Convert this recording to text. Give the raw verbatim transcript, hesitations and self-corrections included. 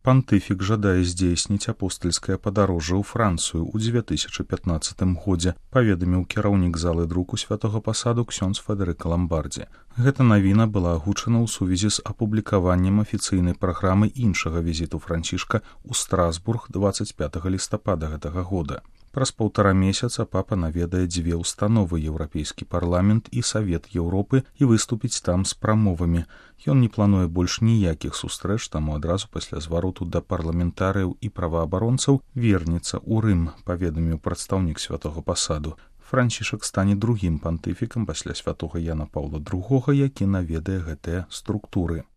Пантыфік жадае здзейсніць апостальскае падарожжа ў Францыю ў дзве тысячы пятнаццатым годзе, паведаміў кіраўнік залы друку святога пасаду ксёндз Федэрыка Ламбардзі. Гэта навіна была агучана ў сувязі з апублікаваннем афіцыйнай праграмы іншага візіту Францішка ў Страсбург дваццаць пятага лістапада гэтага года. Праз паўтара месяца папа наведае дзве ўстановы Еўрапейскі парламент і Савет Еўропы і выступіць там з прамовамі. Ён не плануе больш ніякіх сустрэч, таму адразу пасля звароту да парламентарыяў і праваабаронцаў вернецца ў Рым, паведаміў прадстаўнік святога пасаду. Францішак стане другім пантыфікам пасля святога Яна Паўла другога, які наведае гэтыя структуры.